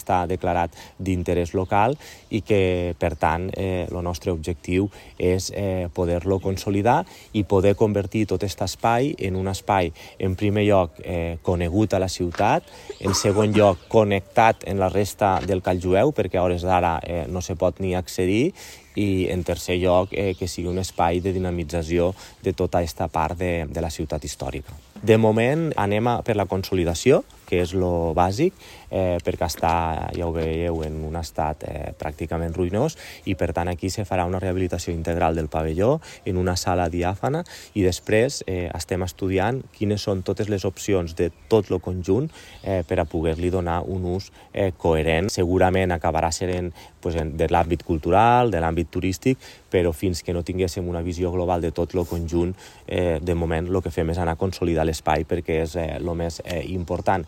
està declarat d'interès local i que, per tant, el nostre objectiu és poder-lo consolidar i poder convertir tot aquest espai en un espai, en primer lloc, conegut a la ciutat, en segon lloc, connectat en la resta del Call Jueu, perquè a hores d'ara no se pot ni accedir, i en tercer lloc que sigui un espai de dinamització de tota aquesta part de la ciutat històrica. De moment anem per la consolidació, que és lo bàsic, perquè està, ja ho veieu, en un estat pràcticament ruïnós, i per tant aquí se farà una rehabilitació integral del pavelló en una sala diàfana, i després estem estudiant quines són totes les opcions de tot el conjunt per a poder-li donar un ús coherent. Segurament acabarà sent de l'àmbit cultural, de l'àmbit turístic, però fins que no tinguéssim una visió global de tot el conjunt, de moment el que fem és anar a consolidar l'espai perquè és el més important.